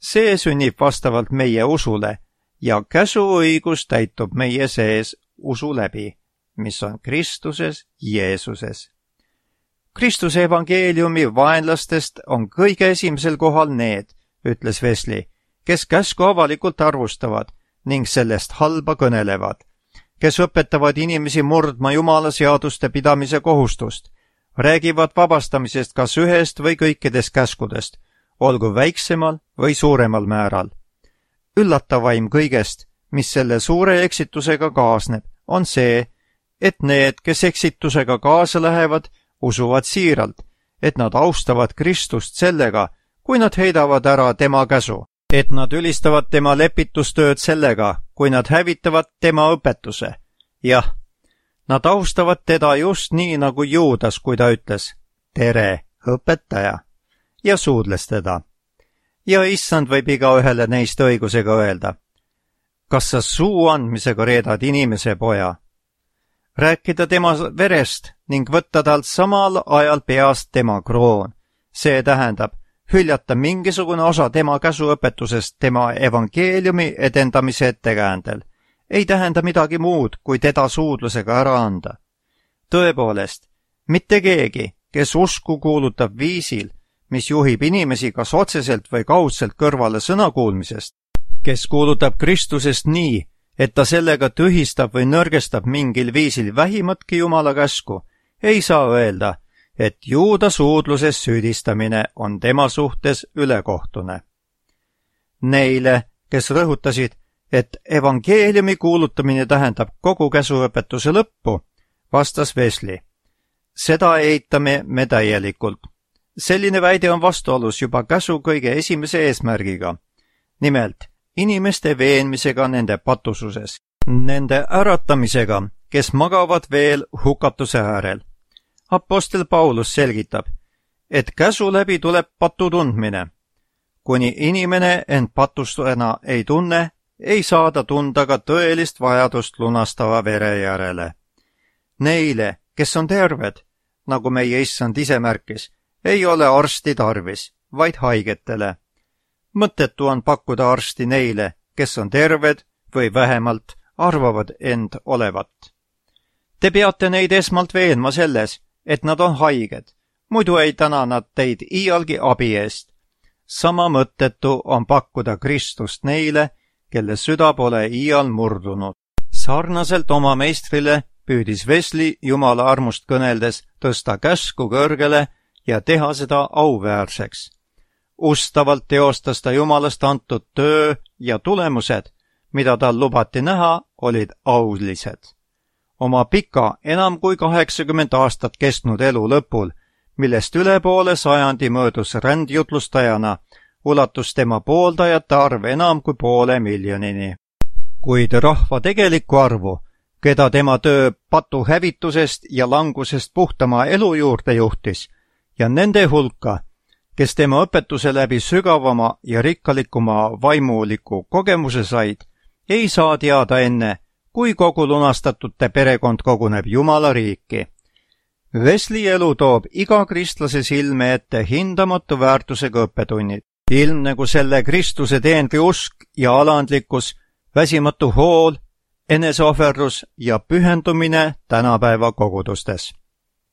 See sünnib vastavalt meie usule ja käsuõigus täitub meie sees usu läbi, mis on Kristuses Jeesuses. Kristuse evangeeliumi vaenlastest on kõige esimesel kohal need, ütles Wesley, kes käsku avalikult arvustavad ning sellest halba kõnelevad, kes õpetavad inimesi murdma Jumala seaduste pidamise kohustust, räägivad vabastamisest kas ühest või kõikidest käskudest, olgu väiksemal või suuremal määral. Üllatavaim kõigest, mis selle suure eksitusega kaasneb, on see, et need, kes eksitusega kaasa lähevad, usuvad siiralt, et nad austavad Kristust sellega, kui nad heidavad ära tema käsu, et nad ülistavad tema lepitustööd sellega, kui nad hävitavad tema õpetuse. Jah, nad austavad teda just nii nagu Juudas, kui ta ütles, tere, õpetaja, ja suudles teda. Ja issand võib igaühele neist õigusega öelda, kas sa suu andmisega reedad inimese poja? Rääkida tema verest ning võtta talt samal ajal peast tema kroon. See tähendab, hüljata mingisugune osa tema käsuõpetusest tema evangeeliumi edendamise ettekäändel. Ei tähenda midagi muud, kui teda suudlusega ära anda. Tõepoolest, mitte keegi, kes usku kuulutab viisil, mis juhib inimesi kas otseselt või kaudselt kõrvale sõnakuulmisest, kes kuulutab Kristusest nii, et ta sellega tühistab või nõrgestab mingil viisil vähimatki Jumala käsku, ei saa öelda, et Juuda suudluses süüdistamine on tema suhtes ülekohtune. Neile, kes rõhutasid, et evangeeliumi kuulutamine tähendab kogu käsuõpetuse lõppu, vastas Wesley. Seda eitame me täielikult. Selline väide on vastuolus juba käsu kõige esimese eesmärgiga. Nimelt, inimeste veenmisega nende patususes, nende äratamisega, kes magavad veel hukatuse äärel. Apostel Paulus selgitab, et käsu läbi tuleb patu tundmine. Kuni inimene end patustena ei tunne, ei saa ta tunda ka tõelist vajadust lunastava vere järele. Neile, kes on terved, nagu meie issand ise märkis, ei ole arsti tarvis, vaid haigetele. Mõttetu on pakkuda arsti neile, kes on terved või vähemalt arvavad end olevat. Te peate neid esmalt veenma selles, et nad on haiged, muidu ei täna nad teid iialgi abi eest. Sama mõttetu on pakkuda Kristust neile, kelle süda pole iial murdunud. Sarnaselt oma meistrile püüdis Wesley Jumala armust kõneldes tõsta käsku kõrgele ja teha seda auväärseks. Ustavalt teostas ta Jumalast antud töö ja tulemused, mida tal lubati näha, olid aulised. Oma pika, enam kui 80 aastat kestnud elu lõpul, millest üle poole sajandi möödus rändjutlustajana, ulatus tema pooldajate arv enam kui 500 000. Kuid rahva tegelikku arvu, keda tema töö patu hävitusest ja langusest puhtama elu juurde juhtis, ja nende hulka, kes tema õpetuse läbi sügavama ja rikkalikuma vaimuliku kogemuse said, ei saa teada enne, kui kogu lunastatute perekond koguneb Jumala riiki. Wesley elu toob iga kristlase silme ette hindamatu väärtusega õppetunnid. Ilmnegu selle Kristuse teenri usk ja alandlikkus, väsimatu hool, eneseohverlus ja pühendumine tänapäeva kogudustes.